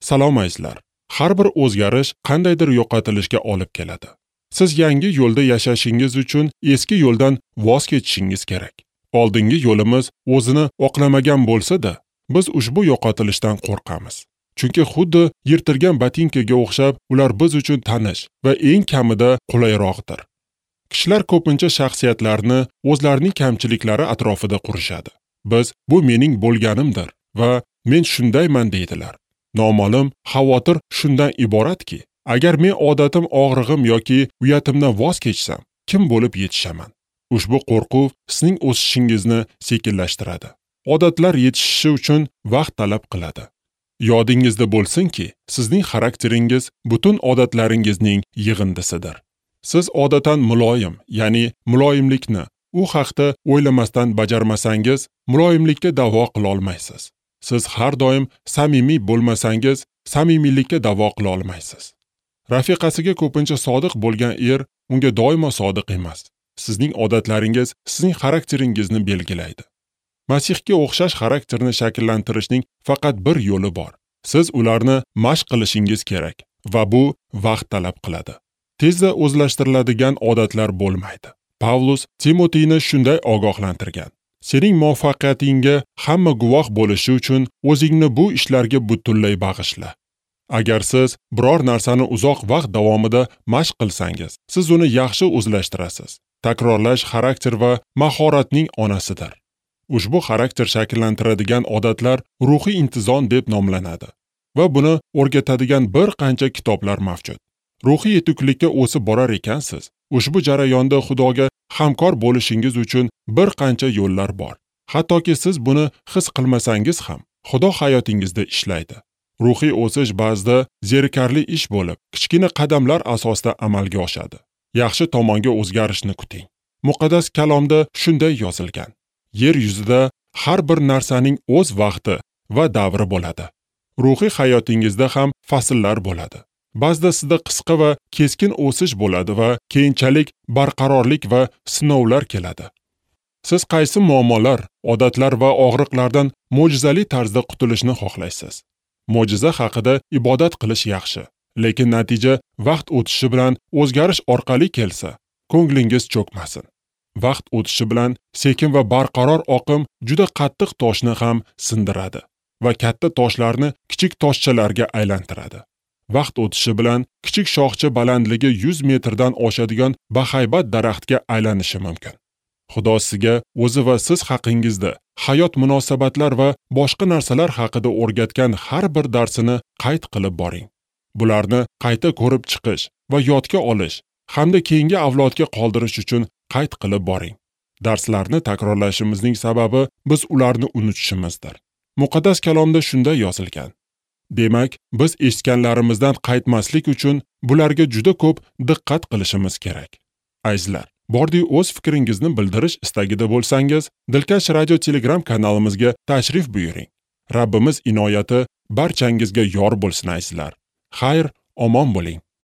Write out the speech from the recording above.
Salom azizlar. Har bir o'zgarish qandaydir yo'qotilishga olib keladi. Siz yangi yo'lda yashashingiz uchun eski yo'ldan voz kechishingiz kerak. Oldingi yo'limiz o'zini oqlamagan bo'lsa-da, biz ushbu yo'qotilishdan qo'rqamiz. Chunki xuddi yirtilgan botinkaga o'xshab, ular biz uchun tanish va eng kamida qulayroqdir. Kishilar ko'pincha shaxsiyatlarni o'zlarining kamchiliklari atrofida qurishadi. Biz bu mening bo'lganimdir va men shundayman deydilar. Noma'lum xavotir shundan iboratki, agar men odatim, og'rig'im yoki uyatimdan voz kechsam, kim bo'lib yetishaman? Ushbu qo'rquv sizning o'sishingizni sekinlashtiradi. Odatlar yetishishi uchun vaqt talab qiladi. Yodingizda bo'lsinki, sizning xarakteringiz butun odatlaringizning yig'indisidir. Siz odatan muloyim, ya'ni muloyimlikni u haqda o'ylamasdan bajarmasangiz, muloyimlikka da'vo qila olmaysiz. Siz har doim samimiy bo'lmasangiz, samimiylikka da'vo qila olmaysiz. Rafiqasiga ko'pincha sodiq bo'lgan er unga doimo sodiq emas. Sizning odatlaringiz sizning xarakteringizni belgilaydi. Masihga o'xshash xarakterni shakllantirishning faqat bir yo'li bor. Siz ularni mashq qilishingiz kerak va bu vaqt talab qiladi. Tezda o'zlashtiriladigan odatlar bo'lmaydi. Pavlus Timotiyni shunday ogohlantirgan: Sening muvaffaqiyatingga hamma guvoh bo'lishi uchun o'zingni bu ishlarga butunlay bag'ishla. Agar siz biror narsani uzoq vaqt davomida mashq qilsangiz, siz uni yaxshi o'zlashtirasiz. Takrorlash xarakter va mahoratning onasidir. Ushbu xarakter shakllantiradigan odatlar ruhiy intizom deb nomlanadi va buni o'rgatadigan bir qancha kitoblar mavjud. Ruhiy yetuklikka o'sib borar ekansiz, ushbu jarayonda Xudoga hamkor bo'lishingiz uchun bir qancha yo'llar bor. Hattoki siz buni his qilmasangiz ham, Xudo hayotingizda ishlaydi. Ruhiy o'sish ba'zida zerikarli ish bo'lib, kichkina qadamlar asosida amalga oshadi. Yaxshi tomonga o'zgarishni kuting. Muqaddas kalomda shunday yozilgan: Yer yuzida har bir narsaning o'z vaqti va davri bo'ladi. Ruhiy hayotingizda ham fasllar bo'ladi. Ba'zida sizda qisqa va keskin o'sish bo'ladi va keyinchalik barqarorlik va sinovlar keladi. Siz qaysi muammolar, odatlar va og'riqlardan mo'jizali tarzda qutulishni xohlaysiz? Mo'jiza haqida ibodat qilish yaxshi, lekin natija vaqt o'tishi bilan o'zgarish orqali kelsa, ko'nglingiz cho'kmasin. Vaqt o'tishi bilan sekin va barqaror oqim juda qattiq toshni ham sindiradi va katta toshlarni kichik toshchalarga aylantiradi. Vaqt o'tishi bilan kichik shoxcha balandligi 100 metrdan oshadigan bahaybat daraxtga aylanishi mumkin. Xudo sizga o'zi va siz haqingizda hayot, munosabatlar va boshqa narsalar haqida o'rgatgan har bir darsini qayd qilib boring. Bularni qayta ko'rib chiqish va yodga olish hamda keyingi avlodga qoldirish uchun qayd qilib boring. Darslarni takrorlashimizning sababi biz ularni unutishimizdir. Muqaddas kalomda shunday yozilgan: Demak, biz eshitganlarimizdan qaytmaslik uchun bularga juda ko'p diqqat qilishimiz kerak. Azizlar, bordi o'z fikringizni bildirish istagida bo'lsangiz, Dilkash Radio Telegram kanalimizga tashrif buyuring. Rabbimiz inoyati barchangizga yor bo'lsin azizlar. Xayr, omon bo'ling.